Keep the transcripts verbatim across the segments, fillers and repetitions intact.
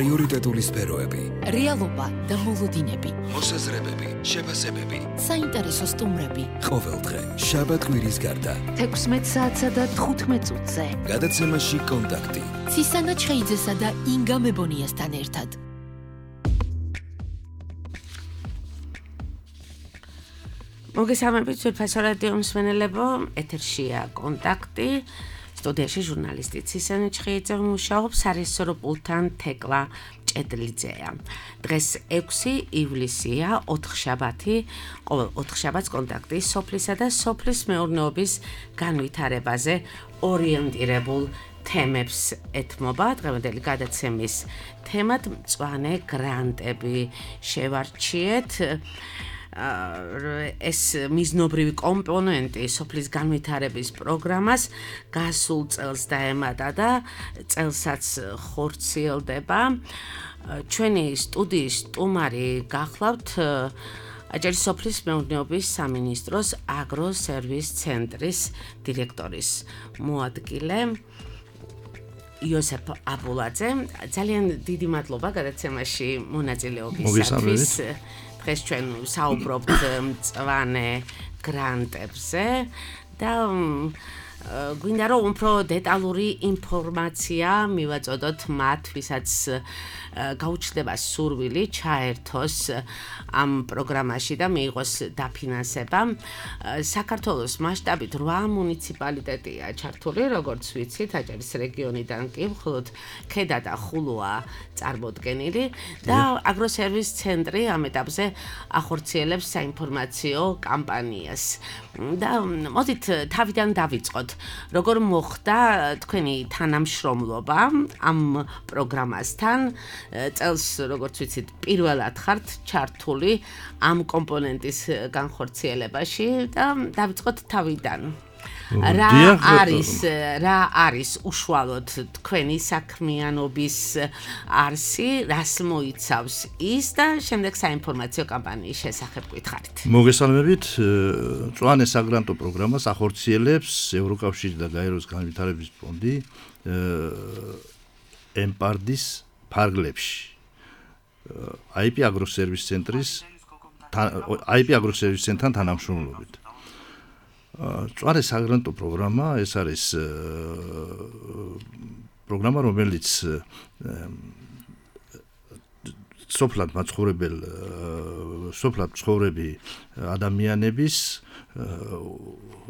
პრიორიტეტული სფეროები, რეალობა და მოლოდინები, მოსაზრებები, შეფასებები, საინტერესო სტუმრები. ყოველდღე შაბათ-კვირის გარდა თექვსმეტ საათსა და თხუთმეტ წუთზე. გადაცემაში კონტაქტი. ცისანა ჩხეიძესა და ინგა მებონიასთან ერთად. მოგესალმებით ძვირფასო რადიო მსმენელებო, ეთერშია კონტაქტი. სტუდიაში ჟურნალისტი ცისანა ჩხეიძე მუშაობს, სარესორო პულტთან თეკლა ჭედლიძეა. დღეს ექვსი ივლისია, ოთხშაბათი, ყოველ ოთხშაბათს კონტაქტი სოფლისა და სოფლის მეურნეობის განვითარებაზე ორიენტირებულ თემებს ეთმობა. დღევანდელი გადაცემის თემად მწვანე გრანტები შევარჩიეთ. ეს მიზნობრივი კომპონენტი სოფლის განვითარების პროგრამას გასულ წელს დაემატა და წელსაც ხორციელდება. ჩვენი სტუდიის სტუმარი გახლავთ აჭარის სოფლის მეურნეობის სამინისტროს აგროსერვის ცენტრის დირექტორის მოადგილე იოსებ აბულაძე. ძალიან დიდი მადლობა გადაცემაში მონაწილეობისათვის. დღეს ჩვენ საუბრობთ მწვანე გრანტებზე და გვინდა რომ უფრო დეტალური ინფორმაცია მივაწოდოთ მათ, ვისაც გაუჩნდება სურვილი ჩაერთოს ამ პროგრამაში და მიიღოს დაფინანსება. საქართველოს მასშტაბით რვა მუნიციპალიტეტია ჩართული, როგორც ვიცით, აჭარის რეგიონიდან კი მხოლოდ ქედა და ხულოა წარმოდგენილი და აგროსერვის ცენტრი ამ ეტაპზე ახორციელებს საინფორმაციო კამპანიას. და მოდით თავიდან დავიწყოთ. როგორ მოხდა თქვენი თანამშრომლობა ამ პროგრამასთან? წელს, როგორც ვიცით, პირველად ხართ ჩართული ამ კომპონენტის განხორციელებაში და დავიწყოთ თავიდან. რა არის რა არის უშუალოდ თქვენი საქმიანობის არსი, რას მოიცავს ის და შემდეგ საინფორმაციო კამპანიის შესახებ გითხარით. მოგესალმებით. მწვანე საგრანტო პროგრამას ახორციელებს ევროკავშირი და გაეროს განვითარების ფონდი ემპარდის ფარგლებში. აი პი აგროსერვის ცენტრის აი პი აგროსერვის ცენტრთან თანამშრომლობით. მწვანე საგრანტო პროგრამა ეს არის პროგრამა, რომელიც სოფლად მაცხოვრებელ სოფლად მცხოვრები ადამიანების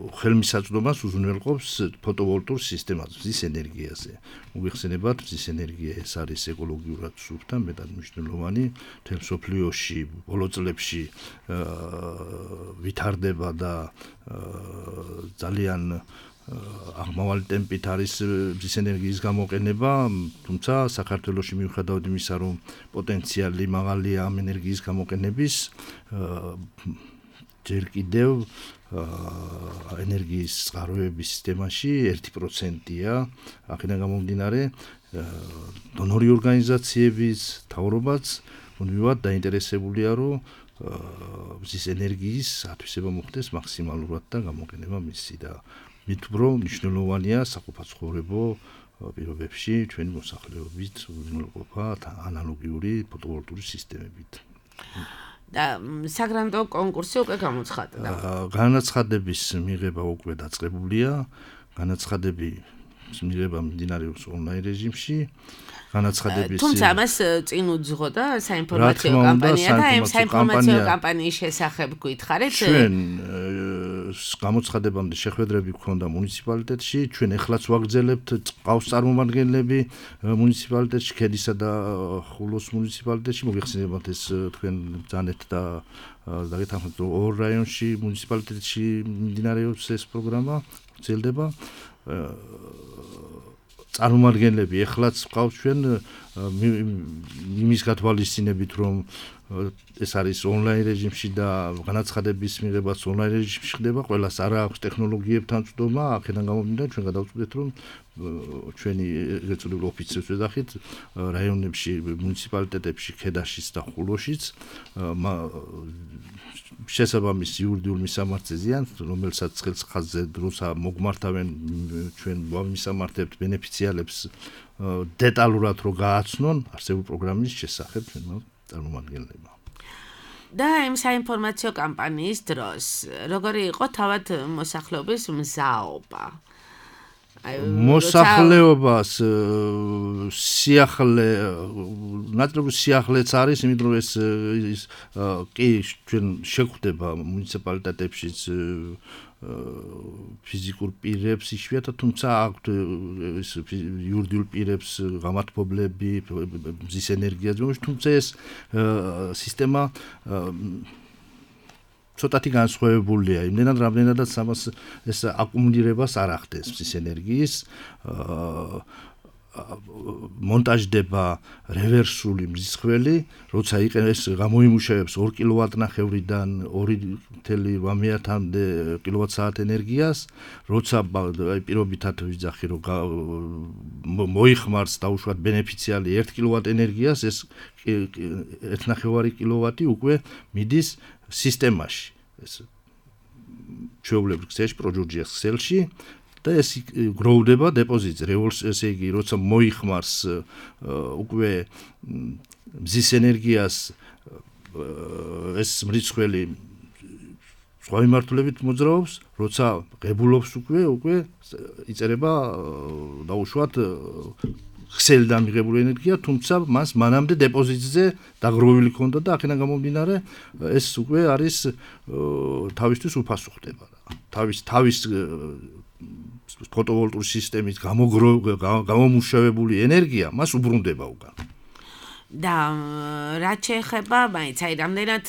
ხელმისაწვდომას უზრუნველყოფს ფოტოვოლტურ სისტემაზე, მზის ენერგიაზე. მოგეხსენებათ, მზის ენერგია ეს არის ეკოლოგიურად სუფთა, მეტად მნიშვნელოვანი. მთელ მსოფლიოში ბოლო წლებში ვითარდება და ძალიან აღმავალი ტემპით არის მზის ენერგიის გამოყენება, თუმცა საქართველოში მიუხედავად იმისა, რომ პოტენციალი მაღალია ამ ენერგიის გამოყენების, ჯერ კიდევ ენერგიის წყაროების სისტემაში ერთი პროცენტია. აქედან გამომდინარე, დონორი ორგანიზაციების მთავრობაც მუდმივად დაინტერესებულია, რომ მზის ენერგიის ათვისება მოხდეს მაქსიმალურად და გამოყენება მისი და მით უფრო მნიშვნელოვანია საყოფაცხოვრებო პირობებში ჩვენი მოსახლეობის უზრუნველყოფა ანალოგიური ფოტოვოლტური სისტემებით. და საგრანტო კონკურსი უკვე გამოცხადდა. განაცხადების მიღება უკვე დაწყებულია. განაცხადები მიღება მიმდინარეობს ონლაინ რეჟიმში. განაცხადების თუმცა ამას წინ უძღო და საინფორმაციო კამპანია და ამ საინფორმაციო კამპანიის შესახებ გითხარით. ჩვენ გამოცხადებამდე შეხვედრები გქონდა მუნიციპალიტეტში, ჩვენ ეხლაც ვაგრძელებთ, ყავს წარმომადგენლები მუნიციპალიტეტში, ქედისა და ხულოს მუნიციპალიტეტში. მოგეხსენებათ, ეს თქვენ ბრძანეთ და დაგეთანხმეთ, რომ ორ რაიონში მუნიციპალიტეტში მიმდინარეობს ეს პროგრამა, გრძელდება. წარმომადგენლები ეხლაც ყავს ჩვენ იმის გათვალისწინებით, რომ ეს არის ონლაინ რეჟიმში და განაცხადების მიღებაც ონლაინ რეჟიმში ხდება, ყველას არ აქვს ტექნოლოგიებთან წვდომა, აქედან გამომდინარე ჩვენ გადავწყვეტეთ, რომ ჩვენი ეწოდებულ ოფიცრებს ვეძახით რაიონებში, მუნიციპალიტეტებში, ქედაშიც და ხულოშიც შესაბამის იურიდიულ მისამართზე, რომელსაც ხელს ხაზზე დროცა მოგმართავენ ჩვენ ვამისამართებთ ბენეფიციარებს დეტალურად რო გააცნონ არსებული პროგრამის შესახებ ჩვენმა წარმომადგენლებმა. და იმ საინფორმაციო კამპანიის დროს როგორი იყო თავად მოსახლეობის მზაობა? მოსახლეობას სიახლე ნაწილობრივ სიახლეც არის, იმიტომ რომ ეს კი ჩვენ შეხვდება მუნიციპალიტეტებშიც ფიზიკურ პირებს იშვიათად, თუმცა აქვთ ეს იურიდიულ პირებს გამართლებლები, მზის ენერგიას, თუმცა ეს სისტემა ცოტათი განსხვავებულია, იმდენად რამდენადაც ამას ეს აკუმულირებას არ ახდენს მზის ენერგიის, მონტაჟდება რევერსული მზისხველი, როცა იყენებს გამოიმუშავებს ორი კილოვატნახევრიდან ორი ნული ოთხამდე კილოვატ-საათ ენერგიას, როცა აი პირობითად ვიძახი რომ მოიხმარს დაუშვათ ბენეფიციარი ერთი კილოვატ ენერგიას, ეს ერთი ნახევარი კილოვატი უკვე მიდის სისტემაში, ეს ჩვეულებრივ ქსელში, პროჯურჯიას ქსელში და ეს გროვდება დეპოზიტზე, ესე იგი, როცა მოიხმარს უკვე მზის ენერგიას ეს მრიცხველი სხვა მიმართულებით მოძრაობს, როცა ღებულობს უკვე, უკვე იწერება დაუშვათ ქსელიდან მიღებული ენერგია, თუმცა მას მანამდე დეპოზიტზე დაგროვილი ქონდა და აქედან გამომდინარე ეს უკვე არის თავისთვის უფასო ხდება. თავის თავის ფოტოვოლტური სისტემის გამომუშავებული ენერგია მას უბრუნდება უკან. და რაც შეეხება, მაინც აი რამდენად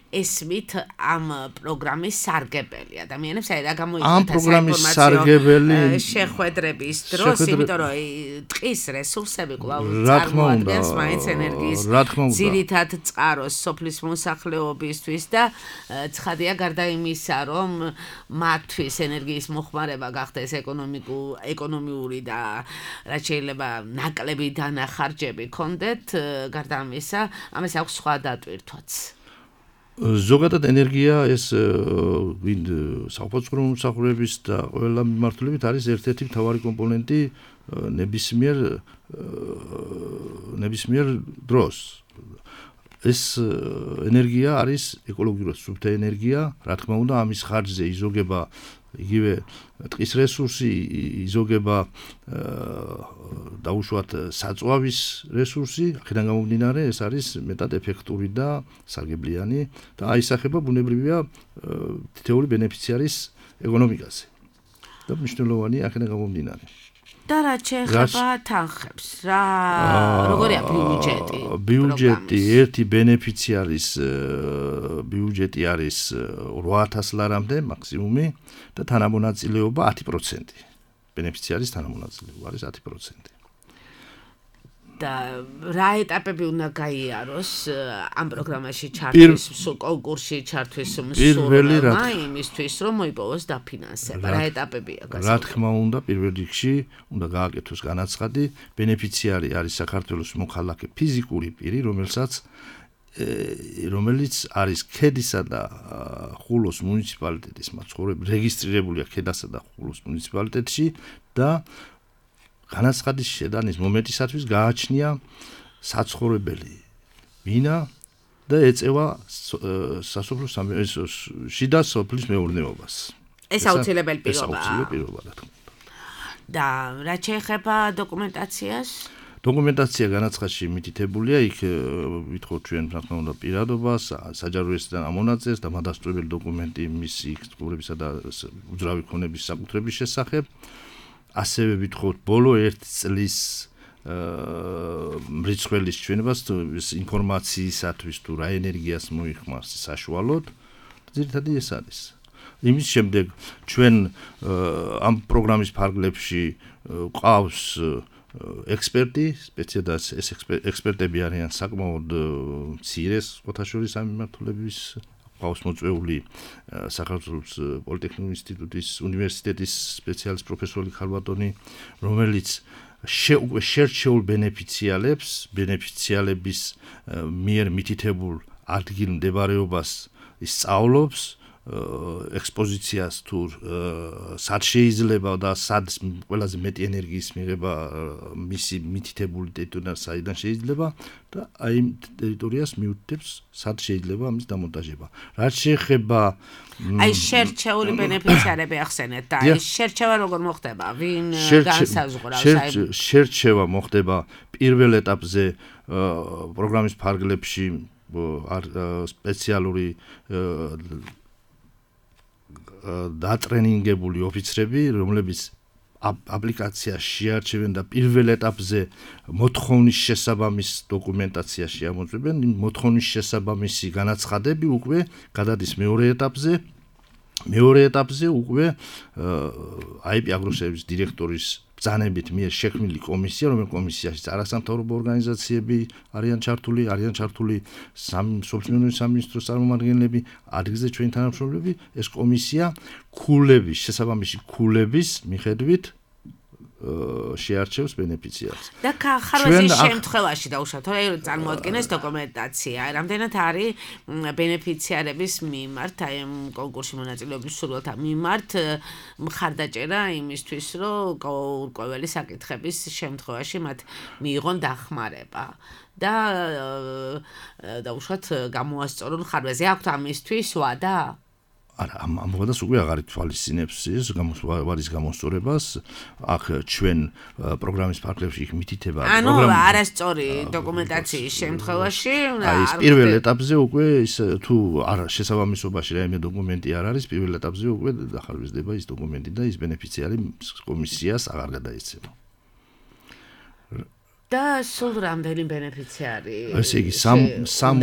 ესმით ამ პროგრამის სარგებელი ადამიანებს, აი რა გამოიხატა ამ პროგრამის სარგებელი შეხვედრების დროს, იმიტომ რომ ტყის რესურსები კვლავ წარმოადგენს მაინც ენერგიის ძირითად წყაროს სოფლის მოსახლეობისთვის და ცხადია გარდა იმისა, რომ მათთვის ენერგიის მოხმარება გახდეს ეკონომიური და რაც შეიძლება ნაკლები დანახარჯები კონდეთ, გარდა ამისა, ამას აქვს სხვა დატვირთვაც. ზოგადად ენერგია ეს ვინ საყოფაცრო მომსახურების და ყველა მიმართულებით არის ერთ-ერთი მთავარი კომპონენტი ნებისმიერ ნებისმიერ დროს. ეს ენერგია არის ეკოლოგიურად სუფთა ენერგია, რა თქმა უნდა, ამის ხარჯზე იზოგება იგივე ტყის რესურსი, იზოგება დაუშვათ საწვავის რესურსი, აქედან გამომდინარე ეს არის მეტად ეფექტური და სარგებლიანი და აისახება ბუნებრივია თითოეული ბენეფიციარის ეკონომიკაზე. და მნიშვნელოვანია აქედან გამომდინარე. და რაც შეეხება თანხებს, რა როგორია ბიუჯეტი? ბიუჯეტი ერთი ბენეფიციარის ბიუჯეტი არის რვა ათას ლარამდე მაქსიმუმი და თანამონაწილეობა ათი პროცენტი. ბენეფიციარის თანამონაწილეობა არის ათი პროცენტი. და რა ეტაპები უნდა გაიაროს ამ პროგრამაში ჩართვის, კონკურსში ჩართვის მსურველმა იმისთვის, რომ მოიპოვოს დაფინანსება. რა ეტაპებია გასაგები? რა თქმა უნდა, პირველ რიგში უნდა გააკეთოს განაცხადი, ბენეფიციარი არის საქართველოს მოქალაქე ფიზიკური პირი, რომელსაც რომელიც არის ქედისა და ხულოს მუნიციპალიტეტის მაცხოვრებელი, რეგისტრირებულია ქედასა და ხულოს მუნიციპალიტეტში და განაცხადის შედანის მომენტისათვის გააჩნია საცხოვრებელი ბინა და ეწევა სასოფლო შიდა სოფლის მეურნეობას. ეს აუცილებელი პირობაა. ეს აუცილებელი პირობაა, რა თქმა უნდა. და რაც შეეხება დოკუმენტაციას? დოკუმენტაცია განაცხადში მითითებულია, იქ ვითხოვთ ჩვენ რა თქმა უნდა პირადობას, საჯარო რეესტრიდან ამონაწილეს და მადასტურებელი დოკუმენტი მისი ცხოვრებისა და უძრავი ქონების საკუთრების შესახებ. ასევე ვითხოვთ ბოლო ერთ წლის მრიცხველის ჩვენებას ინფორმაციისათვის თუ რა ენერგიას მოიხმარს საშუალოდ, ძირითადად ეს არის. იმის შემდეგ ჩვენ ამ პროგრამის ფარგლებში ყავს ექსპერტი, სპეციალად ეს ექსპერტები არიან საკმაოდ მცირე ხოთაშორის ამ მიმართულების ყავს მოწვეული საქართველოს პოლიტექნიკური ინსტიტუტის უნივერსიტეტის სპეციალისტ პროფესორი ხარბატონი, რომელიც უკვე შერჩეულ ბენეფიციალებს, ბენეფიციალების მიერ მითითებულ ადგილ მდებარეობას ისწავლობს ექსპოზიციას თუ სად შეიძლება და სად ყველაზე მეტი ენერგიის მიღება მისი მითითებული ტერიტორია საიდან შეიძლება და აი იმ ტერიტორიას მიუთითებს სად შეიძლება ამის დამონტაჟება. რაც შეეხება აი შერჩეული ბენეფიციარები ახსენეთ და აი შერჩევა როგორ მოხდება? ვინ განსაზღვრავს აი შერჩევა მოხდება პირველ ეტაპზე პროგრამის ფარგლებში სპეციალური დატრენინგებული ოფიცრები, რომლებიც აპლიკაციას შეარჩევენ და პირველ ეტაპზე მოთხოვნის შესაბამის დოკუმენტაციაში ამოწმებენ, მოთხოვნის შესაბამისი განაცხადები უკვე გადადის მეორე ეტაპზე. მეორე ეტაპზე უკვე აი პი აგროსერვის დირექტორის ბრძანებით მიერ შექმნილი კომისია, რომელიც კომისიაში არასამთავრობო ორგანიზაციები არიან ჩართული, არიან ჩართული სოციალური სამინისტროს წარმომადგენლები, ადგილზე ჩვენი თანამშრომლები, ეს კომისია ქულების, შესაბამისი ქულების მიხედვით შეარჩევს ბენეფიციარს. და ხარვაზის შემთხვევაში დაუშვათ, რომ წარმოადგენეს დოკუმენტაცია, რამდენად არის ბენეფიციარების მიმართ, აი ამ კონკურსში მონაწილეობის სურვილთა მიმართ მხარდაჭერა იმისთვის, რომ ყოველი საკითხების შემთხვევაში მათ მიიღონ დახმარება. და დაუშვათ გამოასწორონ ხარვაზე აქვთ ამისთვის ვადა? არა, ამ ამბობას უკვე აღარ ითვალისწინებს ის ვადის გამოსწორებას, აქ ჩვენ პროგრამის ფარგლებში იქ მითითება ანუ არასწორი დოკუმენტაციის შემთხვევაში აი ეს პირველ ეტაპზე უკვე ის თუ არ შესაბამისობაში რაიმე დოკუმენტი არ არის, პირველ ეტაპზე უკვე დახარვიზდება ის დოკუმენტი და ის ბენეფიციარი კომისიას აღარ გადაეცემა. და სულ რამდენი ბენეფიციარი? ესე იგი სამ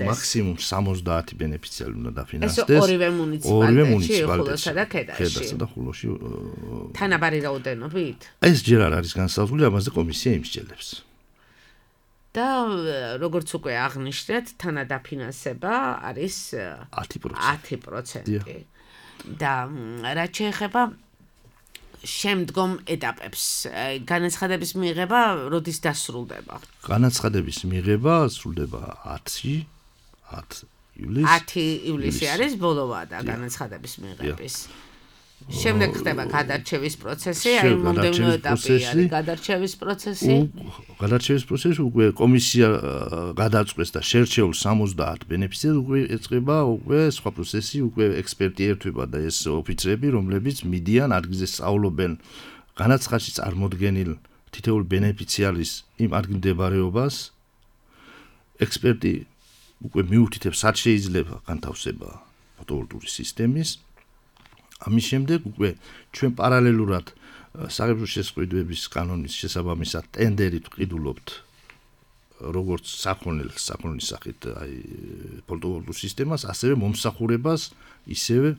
მაქსიმუმ სამოცდაათი ბენეფიციარი უნდა დაფინანსდეს. ეს ორივე მუნიციპალიტეტში, ხულოსა და ქედაში. ქედასა და ხულოში. თანაბარი რაოდენობით? ეს ჯერ არ არის განსაზღვრული, ამაზე კომისია იმსჯელებს. და როგორც უკვე აღნიშნეთ, თანადაფინანსება არის ათი პროცენტი. და რაც შეეხება შემდგომ ეტაპებს განაცხადების მიღება როდის დასრულდება? განაცხადების მიღება სრულდება ათი ივლისს. ათი ივლისი არის ბოლო ვადა განაცხადების მიღების. შემდეგ ხდება გადარჩევის პროცესი, აი მომდევნო ეტაპი არის გადარჩევის პროცესი. გადარჩევის პროცესი უკვე კომისია გადაწყვეტს და შერჩეულ სამოცდაათ ბენეფიციარს უკვე ეწყება უკვე სხვა პროცესი, უკვე ექსპერტი ერთვება და ეს ოფიცრები, რომლებიც მიდიან ადგილზე სწავლობენ განაცხადში წარმოდგენილ თითოეულ ბენეფიციარის იმ ადგილმდებარეობას. ექსპერტი უკვე მიუთითებს, სად შეიძლება განთავსება ფოტოვოლტაური სისტემის. ამის შემდეგ უკვე ჩვენ პარალელურად საგარეო შესყიდვების კანონის შესაბამისად ტენდერით ვყიდულობთ როგორც საქონლის საქონლის სახით აი ფოტოვოლტაურ სისტემას, ასევე მომსახურებას, ისევე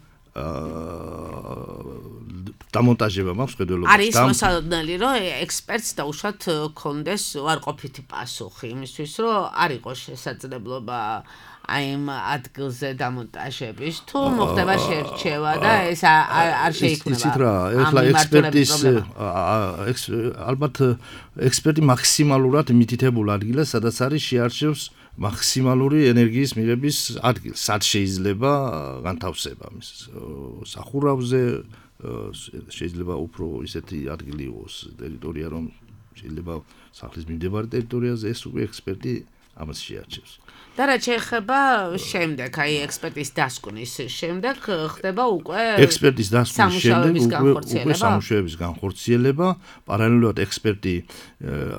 დამონტაჟება მაქვს ხედველობას. არის მოსალოდნელი, რომ ექსპერტს დაუშვათ კონდეს უარყოფითი პასუხი იმისთვის, რომ არ იყოს შესაძლებლობა აი ამ ადგილზე დამონტაჟების თუ მოხდება შერჩევა და ეს არ შეიქმნება. იცით რა, ეხლა ექსპერტის ალბათ ექსპერტი მაქსიმალურად მითითებულ ადგილას, სადაც არის შეარჩევს მაქსიმალური ენერგიის მიღების ადგილს, სად შეიძლება განთავსება მის სახურავზე, შეიძლება უფრო ისეთი ადგილი იყოს ტერიტორია, რომ შეიძლება სახლის მიმდებარე ტერიტორიაზე ეს უკვე ექსპერტი ამას შეარჩევს. და რაც შეეხება შემდეგ, აი ექსპერტის დასკვნის შემდეგ ხდება უკვე ექსპერტის დასკვნის შემდეგ უკვე უკვე სამუშაოების განხორციელება, პარალელურად ექსპერტი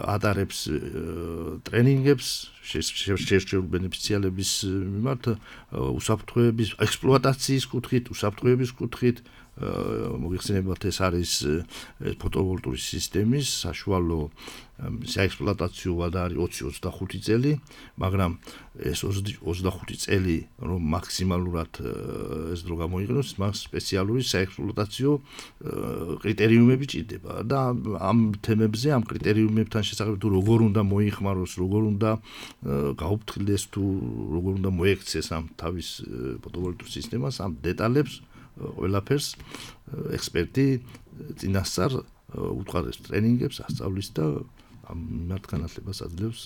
ატარებს ტრენინგებს შერჩეულ ბენეფიციარების მიმართ უსაფრთხოების ექსპლუატაციის კუთხით, უსაფრთხოების კუთხით. მოგიხსენებათ, ეს არის ფოტოვოლტაური სისტემის საშუალო საექსპლუატაციო ვადა არის ოცი ოცდახუთი წელი, მაგრამ ეს ოცდახუთი წელი რომ მაქსიმალურად ეს დრო გამოიყენოს, მას სპეციალური საექსპლუატაციო კრიტერიუმები ჭირდება და ამ თემებზე, ამ კრიტერიუმებთან შესაძლებელი თუ როგორ უნდა მოიხმაროს, როგორ უნდა გაუფრთხილდეს თუ როგორ უნდა მოექცეს ამ თავის ფოტოვოლტაურ სისტემას, ამ დეტალებს ყველაფერს ექსპერტი წინასწარ უწყარებს ტრენინგებს, ასწავლის და მათ განათლებას აძლევს.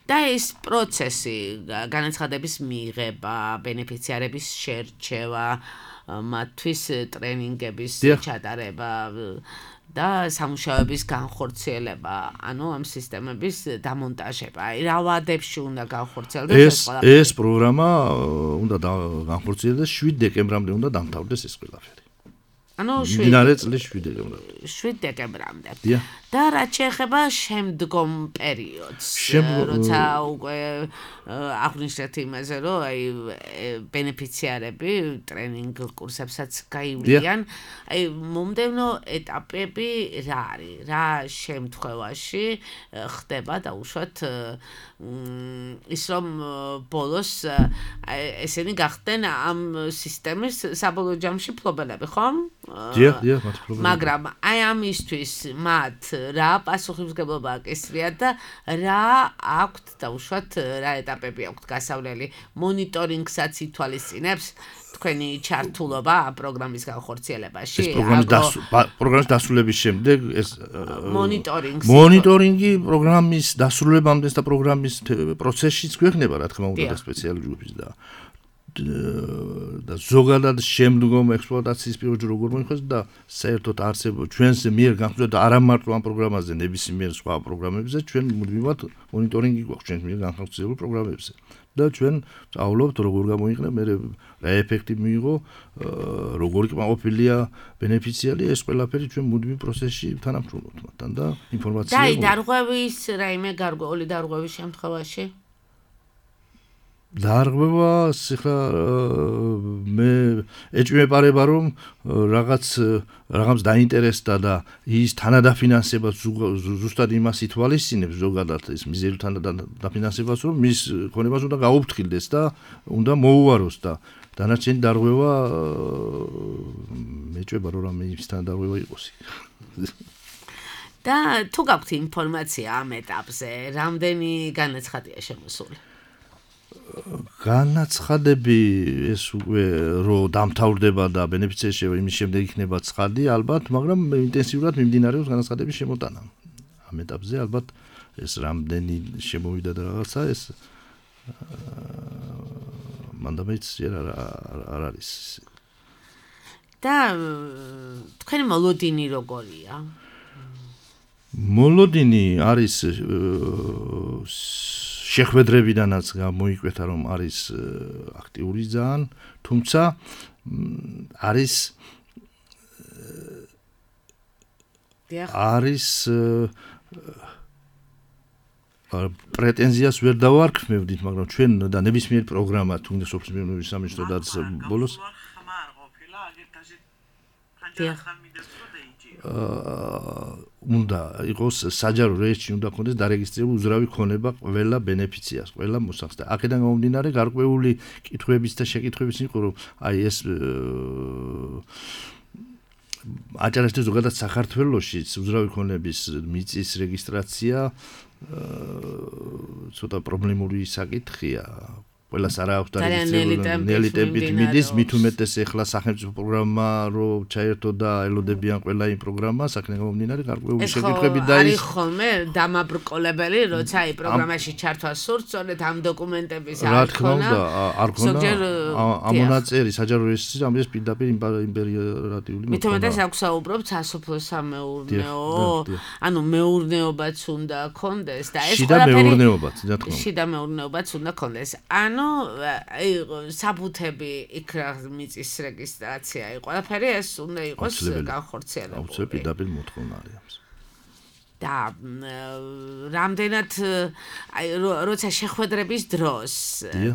და ეს პროცესი, განაცხადების მიღება, ბენეფიციარების შერჩევა, მათთვის ტრენინგების ჩატარება და სამუშაოების განხორციელება, ანუ ამ სისტემების დამონტაჟება. აი რა ვადებში უნდა განხორციელდეს ეს ეს პროგრამა უნდა განხორციელდეს შვიდ დეკემბრამდე უნდა დამთავრდეს ეს ყველაფერი. ანუ მდინარე წლის შვიდ დეკემბრამდე. შვიდ დეკემბრამდე. და რაც შეეხება შემდგომ პერიოდს, როცა უკვე აღნიშნეთ იმაზე, რომ აი ბენეფიციარები ტრენინგ კურსებსაც გაივლიან, აი მომდევნო ეტაპები რა არის? რა შემთხვევაში ხდება დაუშვათ ის რომ ბოლოს ესენი გახდნენ ამ სისტემის საბოლოო ჯამში ფლობელები, ხო? დიახ, დიახ, მათ ფლობელები. მაგრამ აი ამისთვის მათ რა პასუხისმგებლობა აკისრიათ და რა აქვთ დაუშვათ რა ეტაპები აქვთ გასავლელი მონიტორინგსაც ითვალისწინებს თქვენი ჩართულობა პროგრამის განხორციელებაში ეს პროგრამის დასრულების შემდეგ ეს მონიტორინგი მონიტორინგი პროგრამის დასრულებამდე და პროგრამის პროცესშიც გვექნება რა თქმა უნდა და სპეციალური ჯგუფის და და ზოგადად შემდგომ ექსპლუატაციის პერიოდში როგორ მოიხსნა და საერთოდ არსებობს ჩვენს მიერ განხორციელდა და არა მარტო ამ პროგრამაზე, ნებისმიერ სხვა პროგრამებზე, ჩვენ მუდმივად მონიტორინგი გვაქვს ჩვენს მიერ განხორციელებულ პროგრამებზე. და ჩვენ სწავლობთ როგორ გამოიყენა, მე რა ეფექტი მიიღო, როგორ კმაყოფილია ბენეფიციარი, ეს ყველაფერი ჩვენ მუდმივ პროცესში თანამშრომლობთ მათთან და ინფორმაცია. და აი დარღვევის რაიმე გარკვეული დარღვევის შემთხვევაში დარღვევა ახლა მე ეჭვმეპარება რომ რაღაც რაღაც დაინტერესდა და ის თანადაფინანსებას ზუსტად იმას ითვალისწინებს ზოგადად ეს მიზერი თანადაფინანსებას რომ მის ქონებას უნდა გაუფრთხილდეს და უნდა მოუაროს და დანარჩენი დარღვევა მეჭვება რომ რამე იმისთან დარღვევა იყოს. და თუ გაქვთ ინფორმაცია ამ ეტაპზე, რამდენი განაცხადია შემოსული? განაცხადები ეს უკვე რო დამთავრდება და ბენეფიციაში იმის შემდეგ იქნება ცხადი ალბათ, მაგრამ ინტენსიურად მიმდინარეობს განაცხადების შემოტანა. ამ ეტაპზე ალბათ ეს რამდენი შემოვიდა და რაღაცა ეს მანდამეც არ არის. და თქვენი მოლოდინი როგორია? მოლოდინი არის შეხვედრებიდანაც გამოიკვეთა რომ არის აქტიური ძალიან, თუმცა არის არის პრეტენზიას ვერ დავარქმევდით, მაგრამ ჩვენ და ნებისმიერ პროგრამა თუნდაც სოფლის სამინისტროდაც ბოლოს უნდა იყოს საჯარო რეესტრში უნდა ქონდეს დარეგისტრირებული უზრავი ქონება ყველა ბენეფიციარს, ყველა მოსახლეს. აქედან გამომდინარე გარკვეული კითხვების და შეკითხვების იყო რომ აი ეს აჭარაში ზოგადად საქართველოში უზრავი ქონების მიწის რეგისტრაცია ცოტა პრობლემური საკითხია. ყველას არა აქვს დარეგისტრირებული ტემპით მიდის, მით უმეტეს ეხლა სახელმწიფო პროგრამა რო ჩაერთო და ელოდებიან ყველა იმ პროგრამას, აქედან გამომდინარე გარკვეული შეკითხვები და ის არის ხოლმე დამაბრკოლებელი, როცა აი პროგრამაში ჩართვა სურთ, სწორედ ამ დოკუმენტების არ ქონა. არ ქონა ამონაწერი საჯარო რეესტრში, ამის პირდაპირ იმპერატიული მით უმეტეს აქვს საუბრობთ სასოფლო სამეურნეო, ანუ მეურნეობაც უნდა ქონდეს და ეს ყველაფერი შიდა მეურნეობაც, რა თქმა უნდა. შიდა მეურნეობაც უნდა ქონდეს. ანუ საბუთები იქ რა მიწის რეგისტრაცია იყო, ყველაფერი ეს უნდა იყოს განხორციელებული. აუცილებლად პირდაპირ მოთხოვნა არის. და რამდენად აი როცა შეხვედრების დროს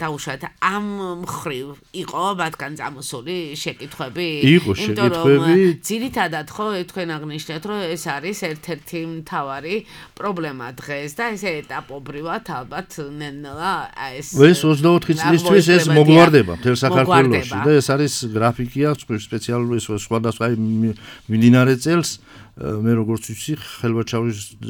დაუშვათ ამ მხრივ იყო მათგან წამოსული შეკითხვები? იყო შეკითხვები. ძირითადად ხო თქვენ აღნიშნეთ რომ ეს არის ერთ-ერთი მთავარი პრობლემა დღეს და ესე ეტაპობრივად ალბათ ნელა ეს ეს ოცდაოთხი წლისთვის ეს მოგვარდება მთელ საქართველოში და ეს არის გრაფიკი აქვს სპეციალური სხვადასხვა მიმდინარე წელს მე როგორც ვიცი ხელვაჩავის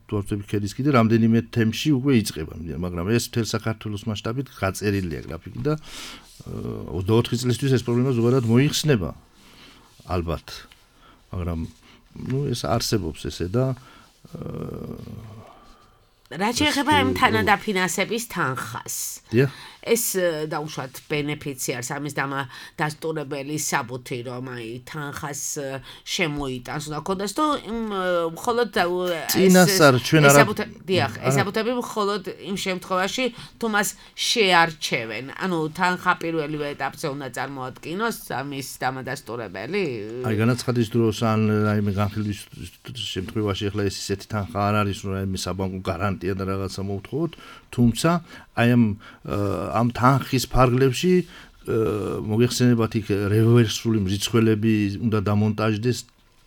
დუარტები ქედის კიდე რამდენიმე თემში უკვე იწყება, მაგრამ ეს მთელ საქართველოს მასშტაბით გაწერილია გრაფიკი და ოცდაოთხი წლისთვის ეს პრობლემა ზოგადად მოიხსნება ალბათ. მაგრამ ნუ ეს არსებობს ესე და რაც შეეხება იმ თანადაფინანსების თანხას. ეს დაუშვათ ბენეფიციარს ამის დამადასტურებელი საბუთი რომ აი თანხას შემოიტანს და ქონდეს თუ მხოლოდ წინასწარ ჩვენ არა დიახ ეს საბუთები მხოლოდ იმ შემთხვევაში თუ მას შეარჩევენ ანუ თანხა პირველივე ეტაპზე უნდა წარმოადგინოს ამის დამადასტურებელი აი განაცხადის დროს ან რაიმე განხილვის შემთხვევაში ახლა ეს ისეთი თანხა არ არის რომ რაიმე საბანკო გარანტია და რაღაცა მოუთხოვოთ თუმცა აი ამ ამ თანხის ფარგლებში მოგეხსენებათ იქ რევერსული მრიცხველები უნდა დამონტაჟდეს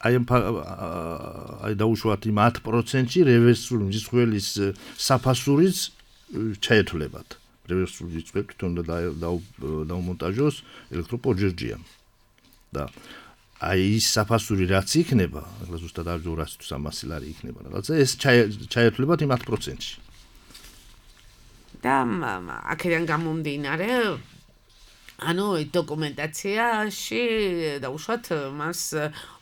აი ამ აი დაუშვათ იმ ათ პროცენტში რევერსული მრიცხველის საფასურიც ჩაეთვლებათ რევერსული მრიცხელი თვითონ უნდა დაუმონტაჟოს ელექტროპოჯერჯია და აი ის საფასური რაც იქნება ახლა ზუსტად არ ვძო რას თუ სამასი ლარი იქნება რაღაცა ეს ჩაეთვლებათ იმ ათ პროცენტში და აქედან გამომდინარე ანუ დოკუმენტაციაში დაუშვათ მას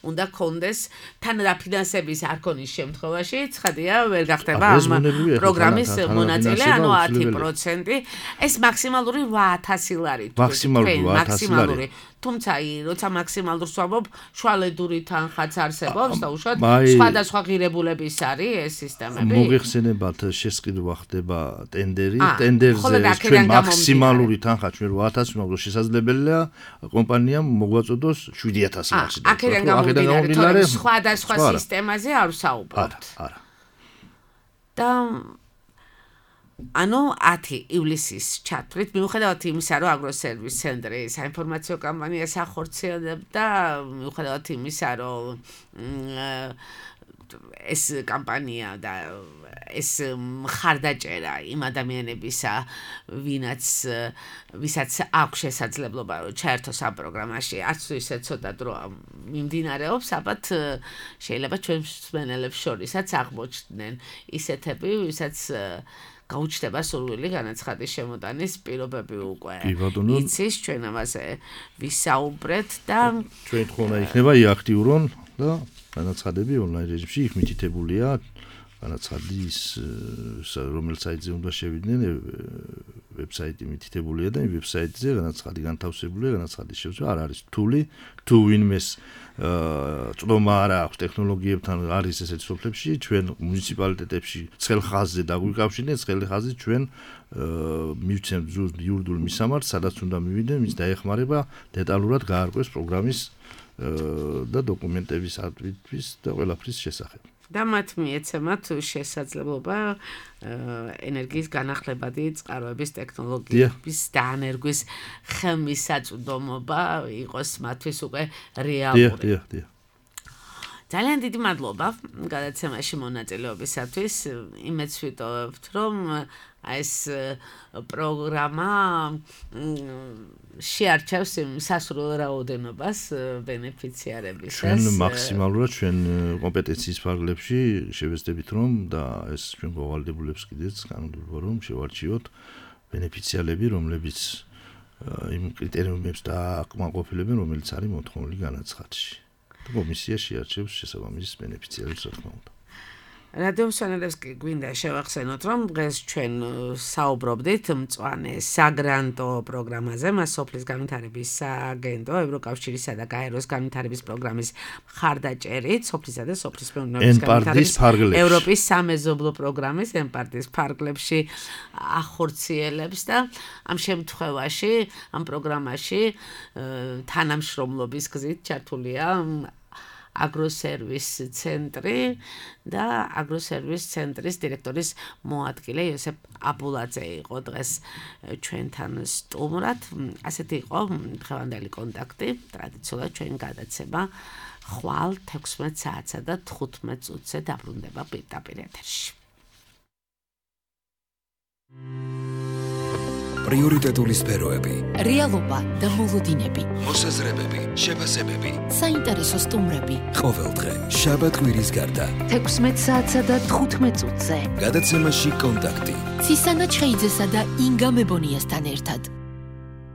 უნდა კონდეს თანადაფინანსების არქონის შემთხვევაში ცხადია ვერ გახდება ამ პროგრამის მონაწილე ანუ ათი პროცენტი ეს მაქსიმალური რვაათასი ლარი მაქსიმალური თუმცა როცა მაქსიმალურს ვამბობ შუალედური თანხაც არსებობს დაუშვათ სხვადასხვა ღირებულების არის ეს სისტემები მოგეხსენებათ შესყიდვა ხდება ტენდერი ტენდერზე ჩვენ მაქსიმალური თანხა ჩვენ რვაათასი მაგრამ შესაძლებელია კომპანიამ მოგვაწოდოს შვიდი ათასი ლარი აქედან გამომდინარე სხვადასხვა სისტემაზე არ ვსაუბრობთ არა და ანუ ათი ივლისის ჩათვლით მიუხედავად იმისა რომ აგროსერვის ცენტრი საინფორმაციო კამპანიას ახორციელებდა მიუხედავად იმისა რომ ეს კამპანია და ეს მხარდაჭერა იმ ადამიანებისა ვინაც ვისაც აქვს შესაძლებლობა რომ ჩაერთოს ამ პროგრამაში არც თუ ისე ცოტა დრო მიმდინარეობს ალბათ შეიძლება ჩვენ მსმენელებს შორისაც აღმოჩნდნენ ისეთები ვისაც გაუჩნდება სურვილი განაცხადის შემოტანის პირობები უკვე იცის ჩვენ ამაზე ვისაუბრეთ და ჩვენ თქონა იქნება იაქტიურონ და განაცხადები ონლაინ რეჟიმში იქ მითითებულია განაცხადის რომელ საიტზე უნდა შევიდნენ ვებსაიტი მითითებულია და იმ ვებსაიტზე განაცხადი განთავსებულია განაცხადის შესაძლებლობა არ არის რთული თუ ვინმეს წვდომა არ აქვს ტექნოლოგიებთან არის ესეთ სოფლებში ჩვენ მუნიციპალიტეტებში ცხელ ხაზზე დაგვიკავშირდნენ ცხელი ხაზი ჩვენ მივცემთ იურიდიულ მისამართს სადაც უნდა მივიდნენ მის დაეხმარება დეტალურად გაარკვეს პროგრამის და დოკუმენტების ატვირთვის და ყველაფრის შესახებ და მათ მიეცემათ შესაძლებლობა ენერგიის განახლებადი წყაროების ტექნოლოგიების დაანერგვის ხელმისაწვდომობა იყოს მათთვის უკვე რეალური. ძალიან დიდი მადლობა გადაცემაში მონაწილეობისათვის. იმედს ვიტოვებთ, რომ ეს პროგრამა შეარჩევს სასურველ რაოდენობას ბენეფიციარებისას. ჩვენ მაქსიმალურად ჩვენ კომპეტენციის ფარგლებში შევეცდებით რომ და ეს ჩვენ მოვალდებულებს კიდეც განვდივართ რომ შევარჩიოთ ბენეფიციარები რომლებიც იმ კრიტერიუმებს დააკმაყოფილებენ რომელიც არის მოთხოვნილი განაცხადში. კომისია შეარჩევს შესაბამის ბენეფიციარებს რა თქმა უნდა. რადიო მსმენელებს კი გვინდა შევახსენოთ, რომ დღეს ჩვენ საუბრობდით მწვანე საგრანტო პროგრამაზე, მას სოფლის განვითარების სააგენტო, ევროკავშირისა და გაეროს განვითარების პროგრამის მხარდაჭერით, სოფლისა და სოფლის მეურნეობის განვითარების ევროპის სამეზობლო პროგრამის ემპარტის ფარგლებში ახორციელებს და ამ შემთხვევაში, ამ პროგრამაში თანამშრომლობის გზით ჩართულია აგროსერვის ცენტრი და აგროსერვის ცენტრის დირექტორის მოადგილე იოსებ აბულაძე იყო დღეს ჩვენთან სტუმრად. ასეთი იყო დღევანდელი კონტაქტი. ტრადიციულად ჩვენ გადაცემა ხვალ თექვსმეტ საათსა და თხუთმეტ წუთზე დაბრუნდება პირდაპირ ეთერში. პრიორიტეტული სფეროები, რეალობა და მოლოდინები, მოსაზრებები, შეფასებები, საინტერესო სტუმრები. ყოველდღე შაბათ-კვირის გარდა თექვსმეტ საათსა და თხუთმეტ წუთზე გადაცემაში კონტაქტი ცისანა ჩხეიძესა და ინგა მებონიასთან ერთად.